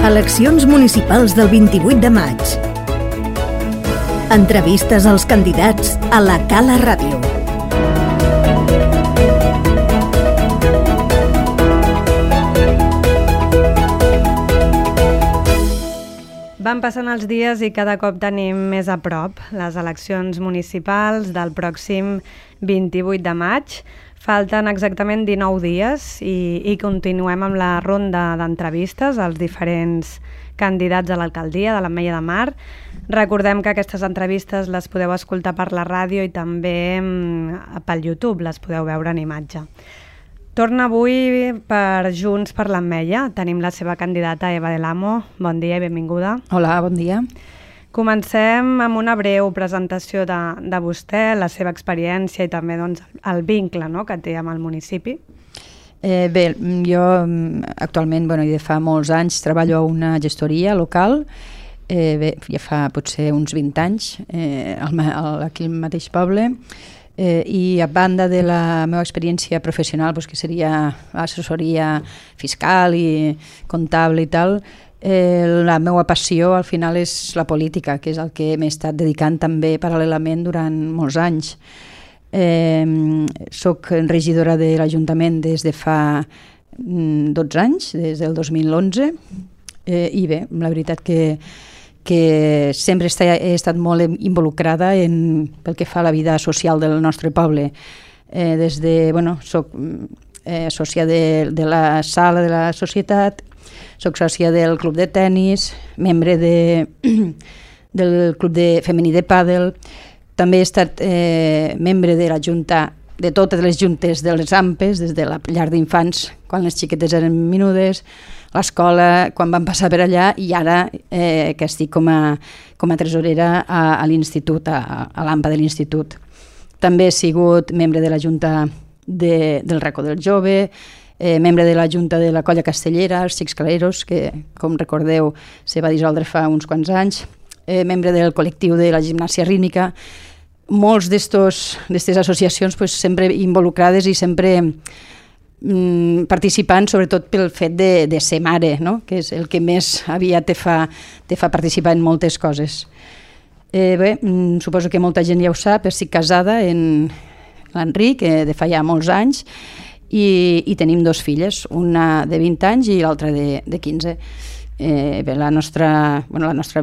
Eleccions municipals del 28 de maig. Entrevistes als candidats a la Cala Ràdio. Van passant els dies i cada cop tenim més a prop les eleccions municipals del pròxim 28 de maig. Falten exactament 19 dies i continuem amb la ronda d'entrevistes als diferents candidats a l'alcaldia de l'Ametlla de Mar. Recordem que aquestes entrevistes les podeu escoltar per la ràdio i també pel YouTube, les podeu veure en imatge. Torna avui per Junts per l'Ametlla. Tenim la seva candidata Eva Del Amo. Bon dia i benvinguda. Hola, bon dia. Comencem amb una breu presentació de vostè, la seva experiència i també el vincle que té amb el municipi. Bé, jo actualment, i de fa molts anys, treballo a una gestoria local. Ja fa potser uns 20 anys, aquí al mateix poble. I a banda de la meva experiència professional, que seria assessoria fiscal i comptable i tal, la meva passió al final és la política, que és el que m'he estat dedicant també paral·lelament durant molts anys. Soc regidora de l'Ajuntament des de fa 12 anys, des del 2011, i bé, la veritat que sempre he estat molt involucrada pel que fa a la vida social del nostre poble. Soc sòcia de la sala de la societat, soc sòcia del club de tennis, membre del club femení de pàdel, també he estat membre de la junta, de totes les juntes de les AMPES, des de la llar d'infants, quan les xiquetes eren menudes, l'escola, quan van passar per allà, i ara que estic com a tresorera a l'institut, a l'AMPA de l'institut. També he sigut membre de la junta del racó del jove, membre de la junta de la colla castellera, els Xics Caleros, que, com recordeu, se va dissoldre fa uns quants anys, membre del col·lectiu de la gimnàsia rítmica. Molts d'aquestes associacions sempre involucrades i sempre participant, sobretot pel fet de ser mare, que és el que més aviat te fa participar en moltes coses. Bé, suposo que molta gent ja ho sap, estic casada amb l'Enric de fa ja molts anys i tenim dos filles, una de 20 anys i l'altra de 15. Bé, la nostra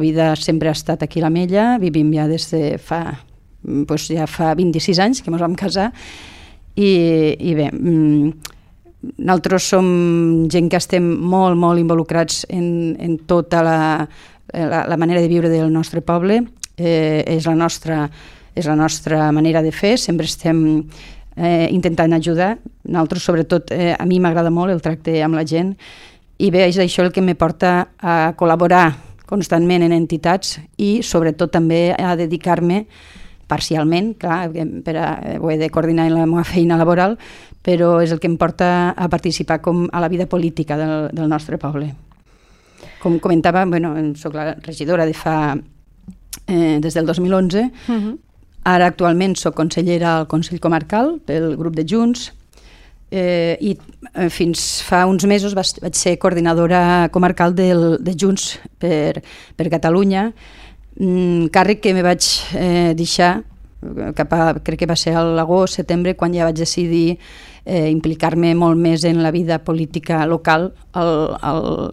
vida sempre ha estat aquí a l'Ametlla, vivim ja des de fa 26 anys que ens vam casar i bé, nosaltres som gent que estem molt, molt involucrats en tota la manera de viure del nostre poble. És la nostra manera de fer, sempre estem intentant ajudar. Nosaltres, sobretot, a mi m'agrada molt el tracte amb la gent i bé, és això el que me porta a col·laborar constantment en entitats i sobretot també a dedicar-me parcialment, clar, ho he de coordinar en la meva feina laboral, però és el que em porta a participar a la vida política del nostre poble. Com comentava, soc la regidora des del 2011, ara actualment soc consellera al Consell Comarcal pel grup de Junts i fins fa uns mesos vaig ser coordinadora comarcal de Junts per Catalunya, càrrec que me vaig deixar crec que va ser a l'agost, setembre, quan ja vaig decidir implicar-me molt més en la vida política local al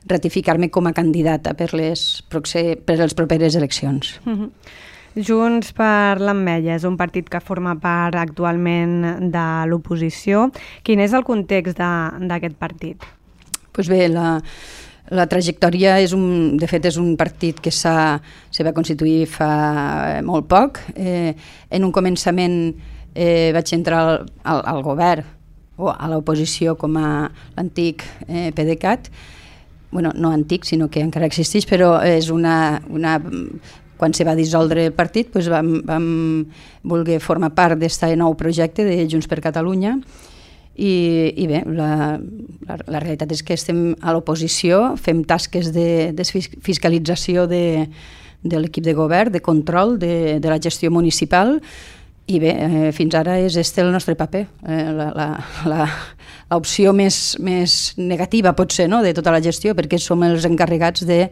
ratificar-me com a candidata per les properes eleccions. Junts per l'Ametlla és un partit que forma part actualment de l'oposició. Quin és el context d'aquest partit? Doncs bé, la trajectòria de fet és un partit que se va constituir fa molt poc. En un començament vaig entrar al govern o a l'oposició com a l'antic PDeCAT. No antic, sinó que encara existeix, però és quan se va dissoldre el partit vam voler formar part d'aquest nou projecte de Junts per Catalunya. I bé, la realitat és que estem a l'oposició, fem tasques de fiscalització de l'equip de govern, de control de la gestió municipal i bé, fins ara és el nostre paper, l'opció més negativa potser, no?, de tota la gestió, perquè som els encarregats de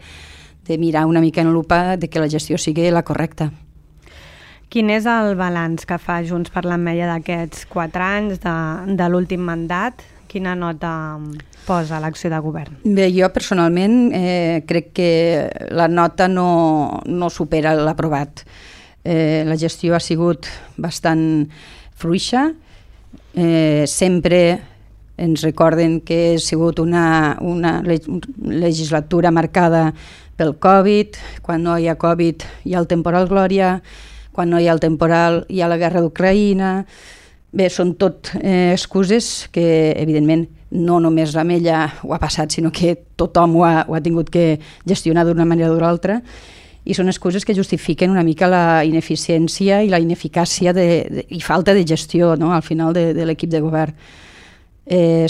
mirar una mica en lupa de que la gestió sigui la correcta. Quin és el balanç que fa Junts per l'Ametlla d'aquests 4 anys de l'últim mandat? Quina nota posa l'acció de govern? Bé, jo personalment crec que la nota no supera l'aprovat. La gestió ha sigut bastant fluixa. Sempre ens recorden que ha sigut una legislatura marcada pel Covid. Quan no hi ha Covid hi ha el temporal Glòria, quan no hi ha el temporal hi ha la guerra d'Ucraïna. Bé, són tot excuses que, evidentment, no només l'Ametlla ho ha passat, sinó que tothom ho ha tingut que gestionar d'una manera o d'una altra, i són excuses que justifiquen una mica la ineficiència i la ineficàcia i falta de gestió, no?, al final de l'equip de govern.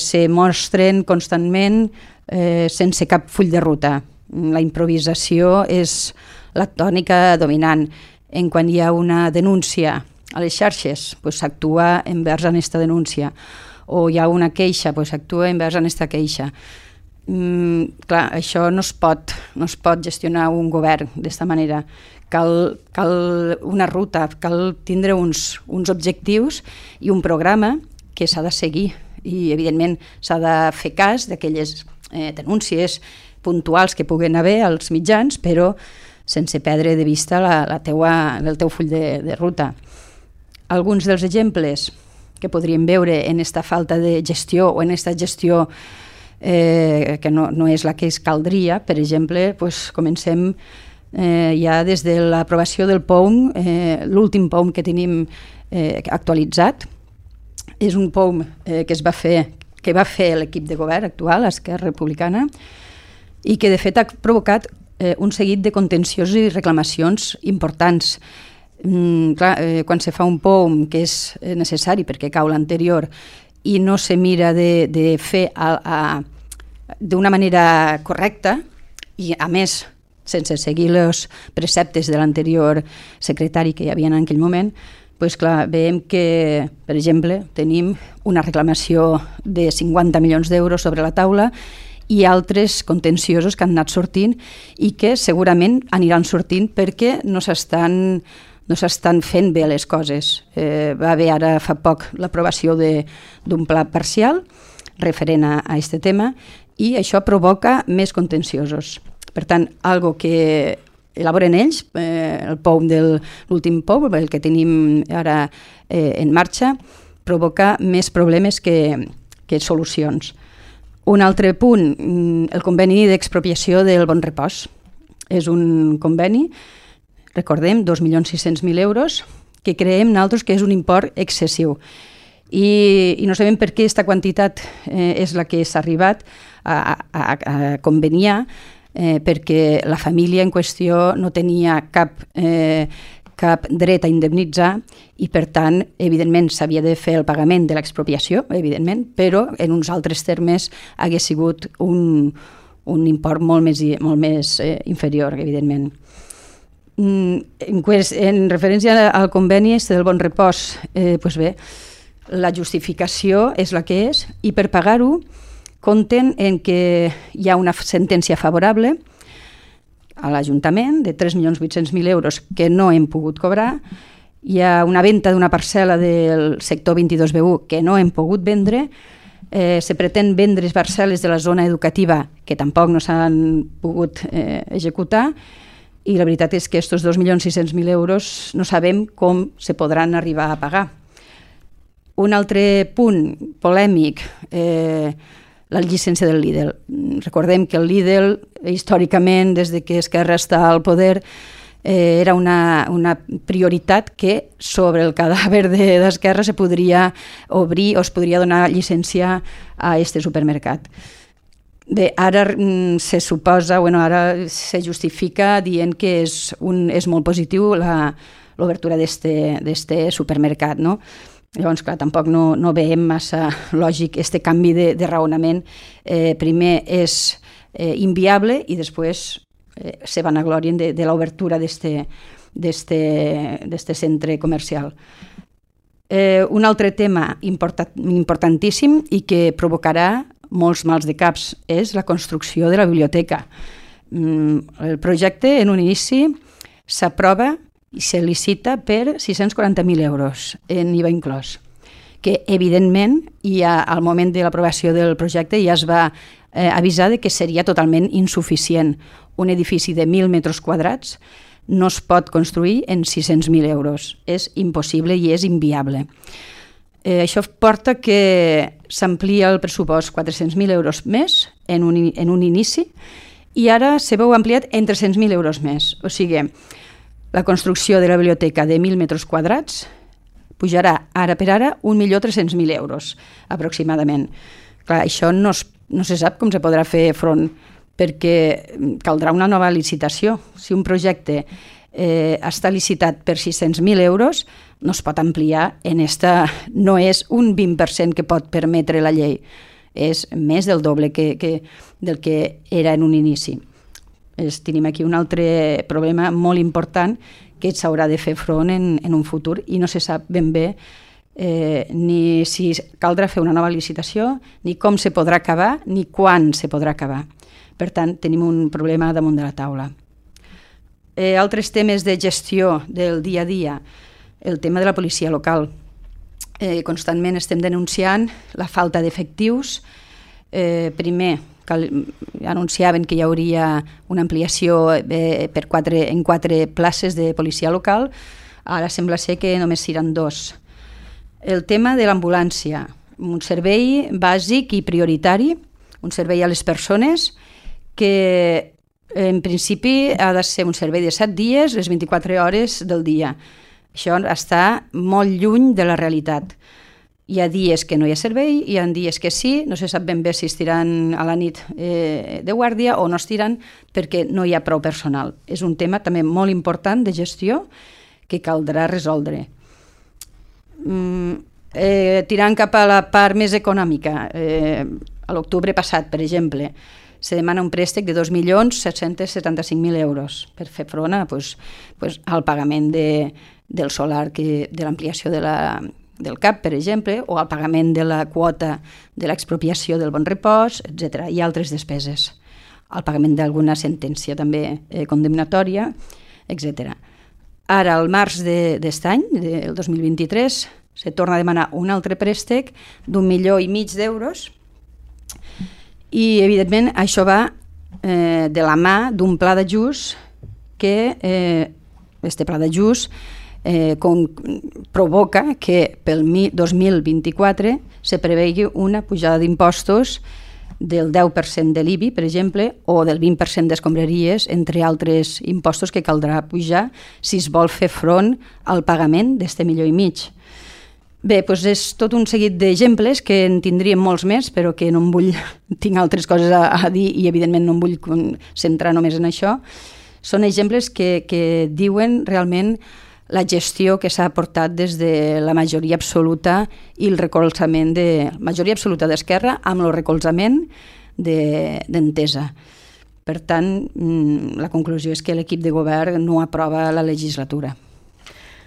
Se mostren constantment sense cap full de ruta. La improvisació és la tònica dominant. Quan hi ha una denúncia a les xarxes, s'actua envers aquesta denúncia, o hi ha una queixa, s'actua envers aquesta queixa. Clar, això no es pot gestionar un govern d'aquesta manera. Cal una ruta, cal tindre uns objectius i un programa que s'ha de seguir, i evidentment s'ha de fer cas d'aquelles denúncies puntuals que puguen haver als mitjans, però sense perdre de vista el teu full de ruta. Alguns dels exemples que podríem veure en aquesta falta de gestió o en aquesta gestió que no és la que es caldria, per exemple, comencem ja des de l'aprovació del POUM, l'últim POUM que tenim actualitzat. És un POUM que va fer l'equip de govern actual, Esquerra Republicana, i que de fet ha provocat un seguit de contenciosos i reclamacions importants. Quan se fa un POUM que és necessari perquè cau l'anterior i no se mira de fer d'una manera correcta i, a més, sense seguir els preceptes de l'anterior secretari que hi havia en aquell moment, veiem que, per exemple, tenim una reclamació de 50 milions d'euros sobre la taula i altres contenciosos que han anat sortint i que segurament aniran sortint perquè no s'estan fent bé les coses. Va haver ara fa poc l'aprovació d'un pla parcial referent a aquest tema i això provoca més contenciosos. Per tant, algo que elaboren ells, el POUM de l'últim POUM, el que tenim ara en marxa, provoca més problemes que solucions. Un altre punt, el conveni d'expropiació del Bon Repòs. És un conveni, recordem, 2.600.000 euros, que creiem nosaltres que és un import excessiu. I no sabem per què aquesta quantitat és la que s'ha arribat a conveniar, perquè la família en qüestió no tenia cap dret a indemnitzar i, per tant, evidentment s'havia de fer el pagament de l'expropiació, evidentment, però en uns altres termes hagués sigut un import molt més inferior, evidentment. En referència al conveni del Bon Repòs, bé, la justificació és la que és i per pagar-ho compten en que hi ha una sentència favorable a l'Ajuntament de 3.800.000 euros que no hem pogut cobrar, hi ha una venda d'una parcel·la del sector 22B1 que no hem pogut vendre, se pretén vendre parcel·les de la zona educativa que tampoc no s'han pogut executar i la veritat és que aquests 2.600.000 euros no sabem com se podran arribar a pagar. Un altre punt polèmic, la llicència del Lidl. Recordem que el Lidl, històricament, des que Esquerra està al poder, era una prioritat que sobre el cadàver d'Esquerra se podria obrir o es podria donar llicència a aquest supermercat. Bé, ara se suposa, ara se justifica dient que és molt positiu l'obertura d'aquest supermercat, no? Llavors, clar, tampoc no veiem massa lògic aquest canvi de raonament. Primer és inviable i després se vanaglorien de l'obertura d'aquest centre comercial. Un altre tema importantíssim i que provocarà molts mals de caps és la construcció de la biblioteca. El projecte, en un inici, s'aprova i se licita per 640.000 euros en IVA inclòs, que evidentment al moment de l'aprovació del projecte ja es va avisar de que seria totalment insuficient. Un edifici de 1.000 metres quadrats no es pot construir en 600.000 euros. És impossible i és inviable. Això porta que s'amplia el pressupost 400.000 euros més en un inici i ara se veu ampliat en 300.000 euros més. O sigui, la construcció de la biblioteca de 1.000 metres quadrats pujarà ara per ara 1.300.000 euros aproximadament. Clar, això no se sap com se podrà fer front perquè caldrà una nova licitació. Si un projecte està licitat per 600.000 euros, no es pot ampliar no és un 20% que pot permetre la llei, és més del doble del que era en un inici. Tenim aquí un altre problema molt important que s'haurà de fer front en un futur i no se sap ben bé ni si caldrà fer una nova licitació, ni com se podrà acabar, ni quan se podrà acabar. Per tant, tenim un problema damunt de la taula. Altres temes de gestió del dia a dia, el tema de la policia local. Constantment estem denunciant la falta d'efectius. Primer, anunciaven que hi hauria una ampliació en 4 places de policia local, ara sembla ser que només seran 2. El tema de l'ambulància, un servei bàsic i prioritari, un servei a les persones que en principi ha de ser un servei de 7 dies, les 24 hores del dia. Això està molt lluny de la realitat. Hi ha dies que no hi ha servei, hi ha dies que sí, no se sap ben bé si estiran a la nit de guàrdia o no estiran perquè no hi ha prou personal. És un tema també molt important de gestió que caldrà resoldre. Tirant cap a la part més econòmica, a l'octubre passat, per exemple, se demana un préstec de 2.775.000 euros per fer front al pagament del solar, de l'ampliació del CAP, per exemple, o al pagament de la quota de l'expropiació del bon repòs, etc. i altres despeses, al pagament d'alguna sentència també condemnatòria, etc. Ara, al març d'aquest any, del 2023, se torna a demanar un altre préstec d'1,5 milió d'euros i, evidentment, això va de la mà d'un pla d'ajust que aquest pla d'ajust provoca que pel 2024 se prevegi una pujada d'impostos del 10% de l'IBI, per exemple, o del 20% d'escombraries, entre altres impostos que caldrà pujar si es vol fer front al pagament d'aquest 1,5 milió. Bé, doncs és tot un seguit d'exemples que en tindríem molts més, però que no em vull, tinc altres coses a dir i evidentment no em vull centrar només en això. Són exemples que diuen realment la gestió que s'ha portat des de la majoria absoluta i el recolzament de majoria absoluta d'Esquerra amb el recolzament d'Entesa. Per tant, la conclusió és que l'equip de govern no aprova la legislatura.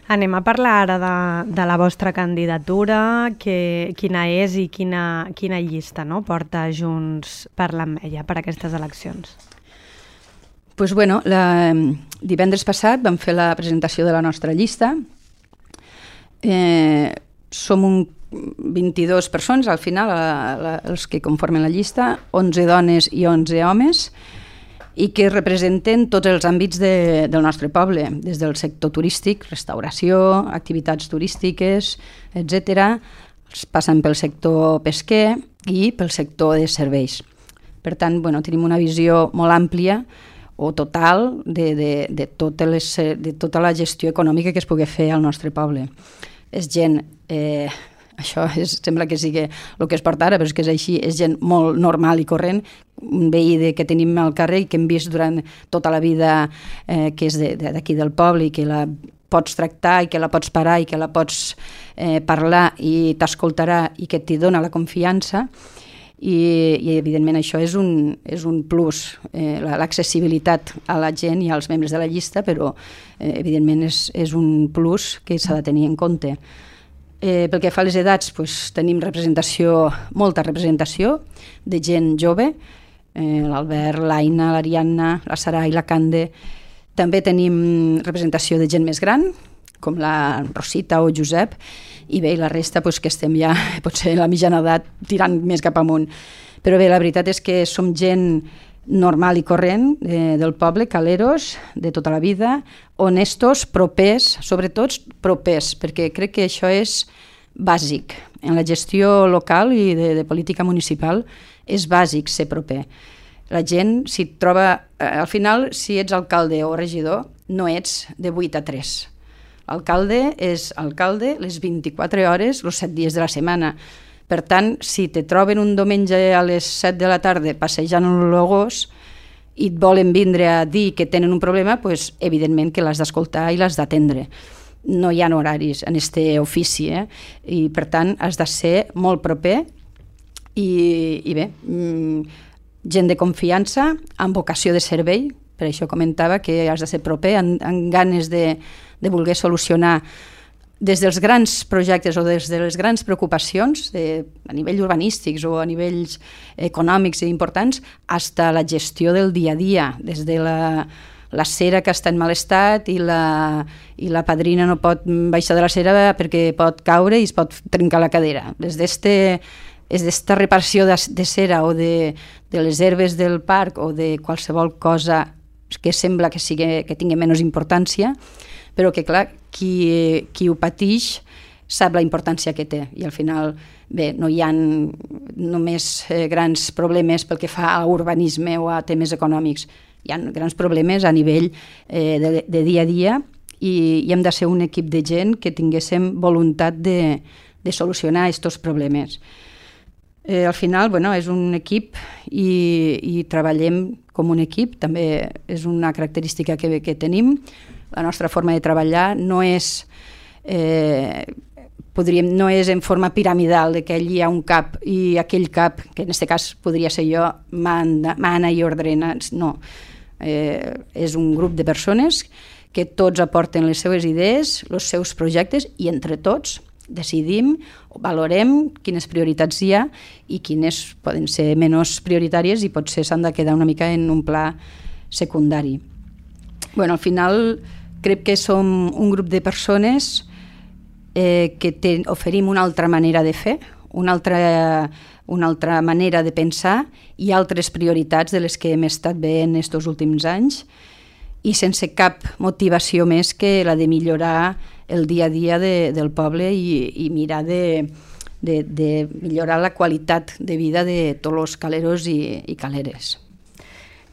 Anem a parlar ara de la vostra candidatura, quina és i quina llista porta Junts per l'Ametlla per aquestes eleccions. Doncs bueno, divendres passat vam fer la presentació de la nostra llista. Som 22 persones al final, els que conformen la llista, 11 dones i 11 homes, i que representen tots els àmbits del nostre poble, des del sector turístic, restauració, activitats turístiques, etc., passant pel sector pesquer i pel sector de serveis. Per tant, tenim una visió molt àmplia o total de tota la gestió econòmica que es pugui fer al nostre poble. És gent, això sembla que sigui el que es porta ara, però és que és així, és gent molt normal i corrent, un veí que tenim al carrer i que hem vist durant tota la vida que és d'aquí del poble i que la pots tractar i que la pots parar i que la pots parlar i t'escoltarà i que t'hi dona la confiança. I evidentment això és un plus, l'accessibilitat a la gent i als membres de la llista, però evidentment és un plus que s'ha de tenir en compte. Pel que fa a les edats, tenim molta representació de gent jove, l'Albert, l'Aina, l'Ariadna, la Sarai, la Cande. També tenim representació de gent més gran, com la Rosita o Josep, i bé, la resta que estem ja potser a la mitjana edat tirant més cap amunt. Però bé, la veritat és que som gent normal i corrent del poble, caleros, de tota la vida, honestos, propers, sobretot propers, perquè crec que això és bàsic. En la gestió local i de política municipal és bàsic ser proper. La gent, si et troba... Al final, si ets alcalde o regidor, no ets de 8 a 3. L'alcalde és alcalde les 24 hores, els 7 dies de la setmana. Per tant, si te troben un diumenge a les 7 de la tarda passejant el gos i et volen vindre a dir que tenen un problema, doncs, evidentment que l'has d'escoltar i l'has d'atendre. No hi ha horaris en aquest ofici, i per tant has de ser molt proper i bé, gent de confiança, amb vocació de servei, per això comentava que has de ser proper, amb ganes de voler solucionar des dels grans projectes o des de les grans preocupacions a nivell urbanístics o a nivells econòmics i importants, fins a la gestió del dia a dia, des de la cera que està en mal estat i la padrina no pot baixar de la cera perquè pot caure i es pot trencar la cadera. Des d'esta reparació de cera o de les herbes del parc o de qualsevol cosa que sembla que tingui menys importància, però que, clar, qui ho pateix sap la importància que té. I al final, bé, no hi ha només grans problemes pel que fa a urbanisme o a temes econòmics. Hi ha grans problemes a nivell de dia a dia i hem de ser un equip de gent que tinguéssim voluntat de solucionar aquests problemes. Al final, és un equip i treballem com un equip, també és una característica que tenim. La nostra forma de treballar no és en forma piramidal, que allí hi ha un cap i aquell cap, que en aquest cas podria ser jo, mana i ordena. No, és un grup de persones que tots aporten les seves idees, els seus projectes i entre tots decidim o valorem quines prioritats hi ha i quines poden ser menys prioritàries i potser s'han de quedar una mica en un pla secundari. Al final crec que som un grup de persones que oferim una altra manera de fer, una altra manera de pensar i altres prioritats de les que hem estat veient aquests últims anys i sense cap motivació més que la de millorar el dia a dia del poble i mirar de millorar la qualitat de vida de tots els caleros i caleres.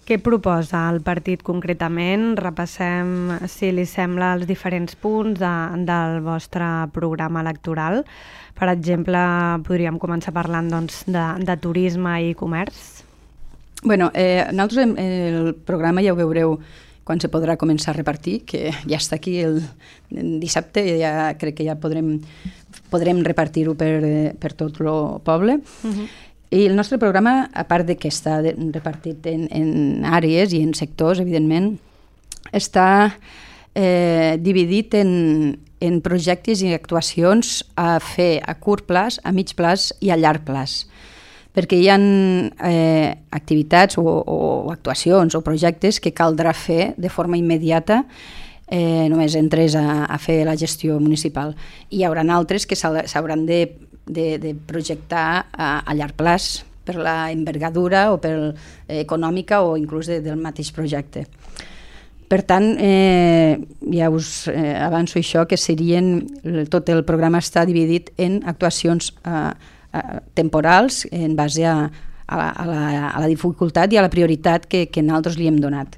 Què proposa el partit concretament? Repassem, si li sembla, els diferents punts del vostre programa electoral. Per exemple, podríem començar parlant de turisme i comerç. Nosaltres el programa ja ho veureu quan se podrà començar a repartir, que ja està aquí el dissabte, crec que ja podrem repartir-ho per tot el poble. I el nostre programa, a part que està repartit en àrees i en sectors, evidentment, està dividit en projectes i actuacions a fer a curt plaç, a mig plaç i a llarg plaç. Perquè hi ha activitats o actuacions o projectes que caldrà fer de forma immediata només entres a fer la gestió municipal. I hi haurà altres que s'hauran de projectar a llarg plaç per la envergadura o per econòmica o inclús del mateix projecte. Per tant, ja us avanço això, que tot el programa està dividit en actuacions temporals en base a la dificultat i a la prioritat que nosaltres li hem donat.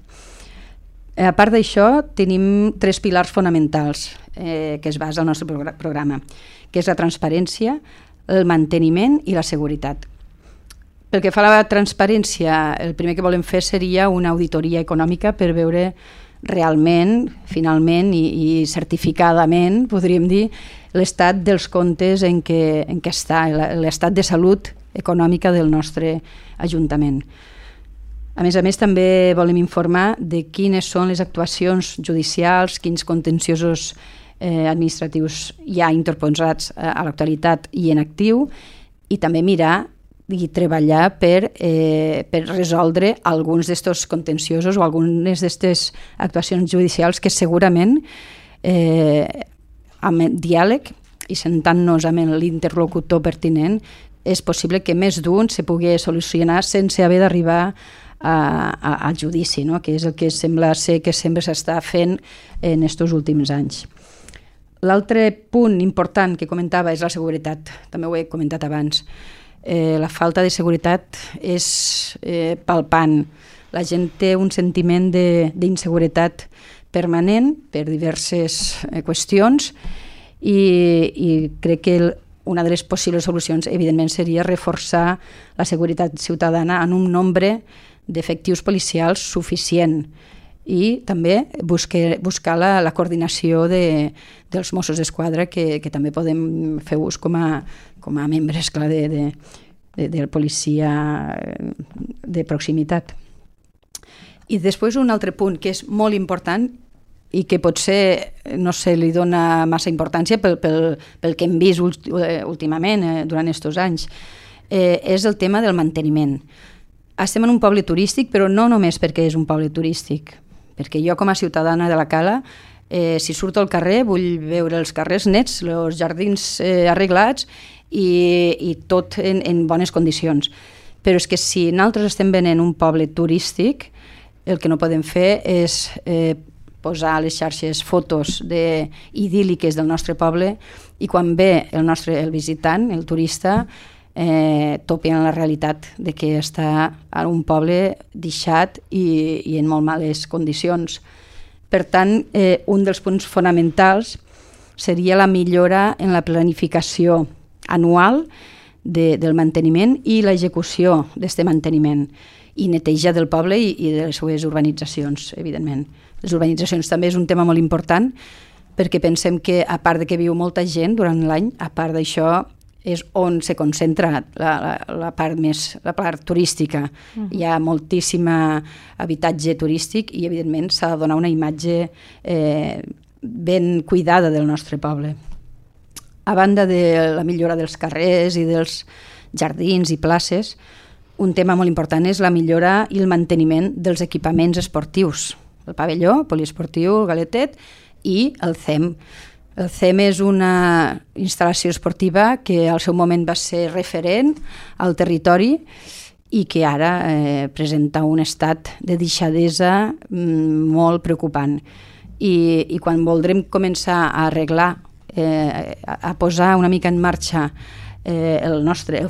A part d'això, tenim 3 pilars fonamentals que es basa al nostre programa, que és la transparència, el manteniment i la seguretat. Pel que fa a la transparència, el primer que volem fer seria una auditoria econòmica per veure realment, finalment i certificadament, podríem dir, l'estat dels comptes en què està, l'estat de salut econòmica del nostre Ajuntament. A més, també volem informar de quines són les actuacions judicials, quins contenciosos administratius ja interposats a l'actualitat i en actiu, i també mirar i treballar per resoldre alguns d'estos contenciosos o algunes d'estes actuacions judicials que segurament amb diàleg i sentant-nos amb l'interlocutor pertinent és possible que més d'un se pugui solucionar sense haver d'arribar al judici, no? Que és el que sembla ser que sempre s'està fent en aquests últims anys. L'altre punt important que comentava és la seguretat, també ho he comentat abans. La falta de seguretat és palpant. La gent té un sentiment d'inseguretat permanent per diverses qüestions i crec que una de les possibles solucions, evidentment, seria reforçar la seguretat ciutadana en un nombre d'efectius policials suficient i també buscar la coordinació dels Mossos d'Esquadra, que també podem fer ús com a membres, clar, de la policia de proximitat. I després un altre punt que és molt important i que potser no se li dona massa importància pel que hem vist últimament durant aquests anys, és el tema del manteniment. Estem en un poble turístic, però no només perquè és un poble turístic, perquè jo com a ciutadana de la Cala, si surto al carrer vull veure els carrers nets, els jardins arreglats i tot en bones condicions. Però és que si nosaltres estem venent un poble turístic, el que no podem fer és posar a les xarxes fotos idíl·liques del nostre poble i quan ve el visitant, el turista, topi en la realitat de que està en un poble deixat i en molt males condicions. Per tant, un dels punts fonamentals seria la millora en la planificació anual del manteniment i l'execució d'aquest manteniment i neteja del poble i de les seves urbanitzacions, evidentment. Les urbanitzacions també és un tema molt important perquè pensem que, a part de que viu molta gent durant l'any, a part d'això és on se concentra la part turística. Hi ha moltíssim habitatge turístic i, evidentment, s'ha de donar una imatge ben cuidada del nostre poble. A banda de la millora dels carrers i dels jardins i places, un tema molt important és la millora i el manteniment dels equipaments esportius. El pavelló poliesportiu, el Galetet i el CEM. El CEM és una instal·lació esportiva que al seu moment va ser referent al territori i que ara presenta un estat de deixadesa molt preocupant. I quan voldrem començar a arreglar, a posar una mica en marxa el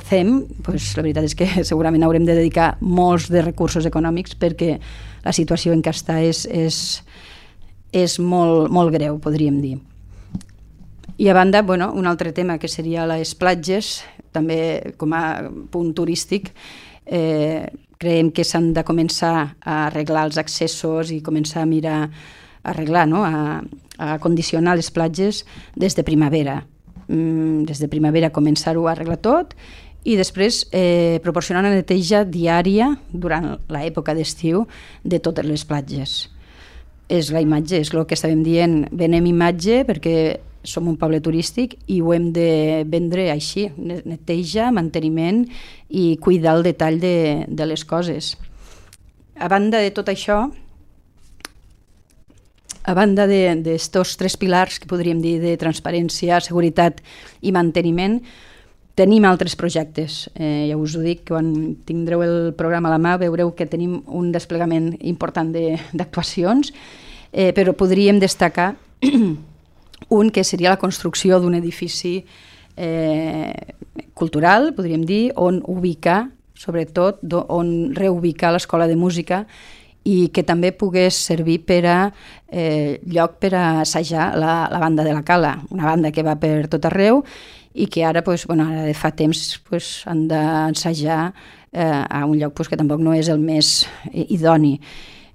CEM, doncs la veritat és que segurament haurem de dedicar molts de recursos econòmics perquè la situació en què està és molt greu, podríem dir. I a banda, un altre tema que seria les platges, també com a punt turístic, creiem que s'han de començar a arreglar els accessos i començar a mirar, a arreglar, a condicionar les platges des de primavera. Des de primavera començar-ho a arreglar tot i després proporcionar una neteja diària durant l'època d'estiu de totes les platges. És la imatge, és el que estàvem dient, venem imatge perquè som un poble turístic i ho hem de vendre així, neteja, manteniment i cuidar el detall de les coses. A banda de tot això, a banda d'estos tres pilars que podríem dir de transparència, seguretat i manteniment, tenim altres projectes. Ja us ho dic, quan tindreu el programa a la mà veureu que tenim un desplegament important d'actuacions, però podríem destacar un que seria la construcció d'un edifici cultural, podríem dir, on ubicar, sobretot, on reubicar l'Escola de Música i que també pogués servir per a lloc per a assajar la banda de la Cala, una banda que va per tot arreu i que ara, ara de fa temps, han d'ensajar a un lloc que tampoc no és el més idoni.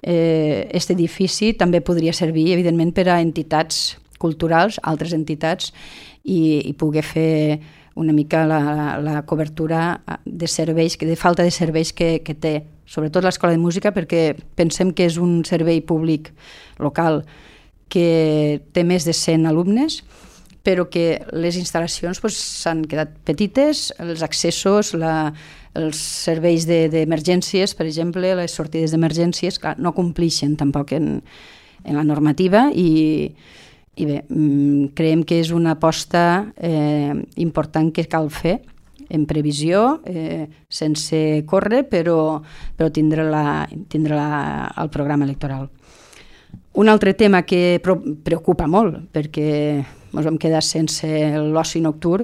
Aquest edifici també podria servir, evidentment, per a entitats culturals, altres entitats, i poder fer una mica la cobertura de serveis, de falta de serveis que té, sobretot l'Escola de Música, perquè pensem que és un servei públic local que té més de 100 alumnes, però que les instal·lacions s'han quedat petites, els accessos, els serveis d'emergències, per exemple, les sortides d'emergències, clar, no complixen tampoc en la normativa i bé, creiem que és una aposta important que cal fer en previsió, sense córrer, però tindre-la al programa electoral. Un altre tema que preocupa molt, perquè ens vam quedar sense l'oci nocturn,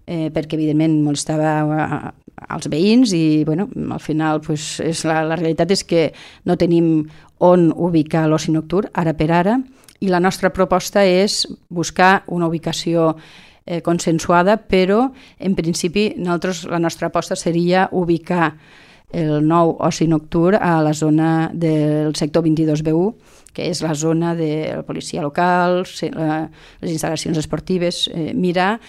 perquè evidentment molestava als veïns i al final la realitat és que no tenim on ubicar l'oci nocturn, ara per ara, i la nostra proposta és buscar una ubicació consensuada, però en principi la nostra aposta seria ubicar el nou oci nocturn a la zona del sector 22B1, que és la zona de la policia local, les instal·lacions esportives, mirar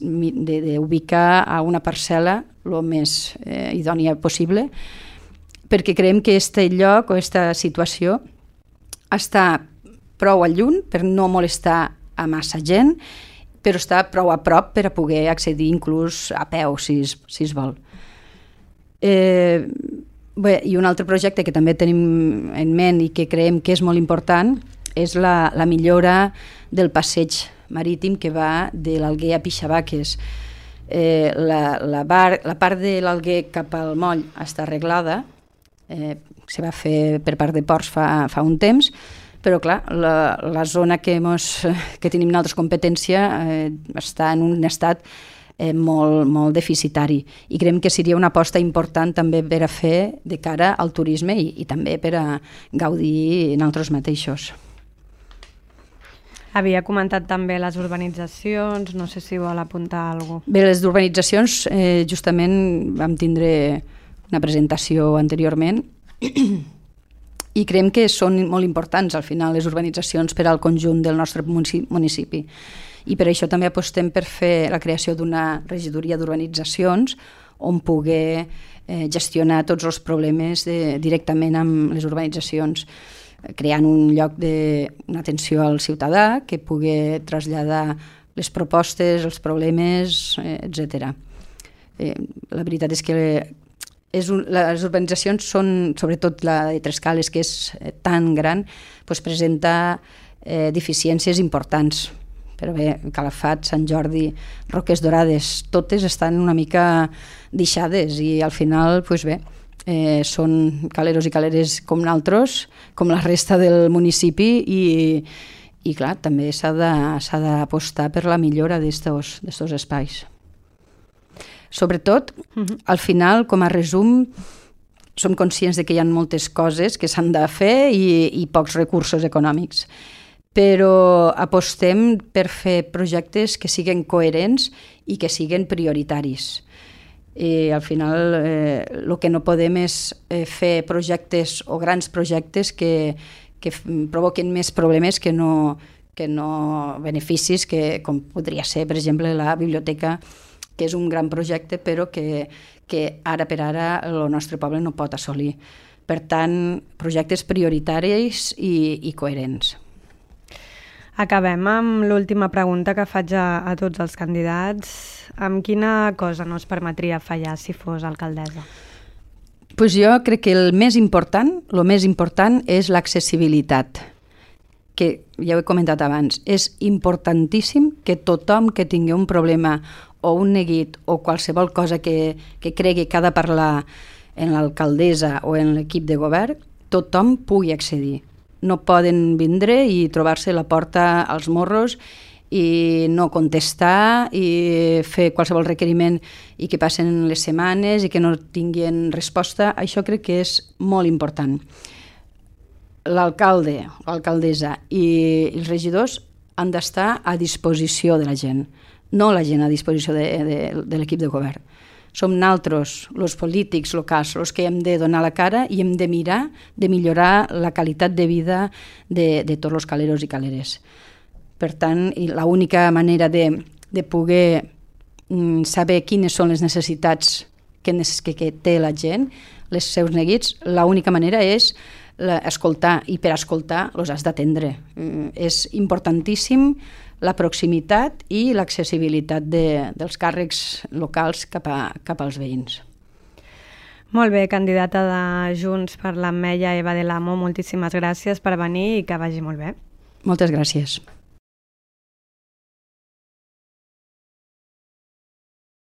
d'ubicar a una parcel·la el més idònia possible, perquè creiem que aquest lloc o aquesta situació està prou a lluny per no molestar a massa gent, però està prou a prop per a poder accedir inclús a peu, si es vol. Bé, i un altre projecte que també tenim en ment i que creiem que és molt important és la millora del passeig marítim que va de l'Alguer a Pixabaques. La part de l'Alguer cap al moll està arreglada, se va fer per part de Ports fa un temps, però clar, la zona que tenim nosaltres competència està en un estat molt, molt deficitari i creiem que seria una aposta important també per a fer de cara al turisme i també per a gaudir nosaltres mateixos. Havia comentat també les urbanitzacions, no sé si vol apuntar alguna cosa. Bé, les urbanitzacions justament vam tindre una presentació anteriorment i creiem que són molt importants al final les urbanitzacions per al conjunt del nostre municipi. I per això també apostem per fer la creació d'una regidoria d'urbanitzacions on poder gestionar tots els problemes directament amb les urbanitzacions, creant un lloc d'una atenció al ciutadà que pugui traslladar les propostes, els problemes, etc. La veritat és que les urbanitzacions són, sobretot la de Trescales, que és tan gran, presenta deficiències importants. Però bé, Calafat, Sant Jordi, Roques Dorades, totes estan una mica deixades i al final, són caleros i caleres com nosaltres, com la resta del municipi i clar, també s'ha d'apostar per la millora d'estos espais. Sobretot, al final, com a resum, som conscients de que hi ha moltes coses que s'han de fer i pocs recursos econòmics, però apostem per fer projectes que siguin coherents i que siguin prioritaris. Al final, el que no podem és fer projectes o grans projectes que provoquen més problemes que no beneficis, com podria ser, per exemple, la biblioteca, que és un gran projecte, però que ara per ara el nostre poble no pot assolir. Per tant, projectes prioritaris i coherents. Acabem amb l'última pregunta que faig a tots els candidats. Amb quina cosa no es permetria fallar si fos alcaldessa? Jo crec que el més important és l'accessibilitat, que ja ho he comentat abans. És importantíssim que tothom que tingui un problema o un neguit o qualsevol cosa que cregui que ha de parlar en l'alcaldessa o en l'equip de govern, tothom pugui accedir. No poden vindre i trobar-se la porta als morros i no contestar i fer qualsevol requeriment i que passen les setmanes i que no tinguin resposta. Això crec que és molt important. L'alcalde, l'alcaldessa i els regidors han d'estar a disposició de la gent, no la gent a disposició de l'equip de govern. Som nosaltres, els polítics locals, els que hem de donar la cara i hem de mirar de millorar la qualitat de vida de tots els caleros i caleres. Per tant, l'única manera de poder saber quines són les necessitats que té la gent, els seus neguits, l'única manera és escoltar, i per escoltar els has d'atendre. És importantíssim la proximitat i l'accessibilitat dels càrrecs locals cap als veïns. Molt bé, candidata de Junts per l'Ametlla, Eva del Amo, moltíssimes gràcies per venir i que vagi molt bé. Moltes gràcies.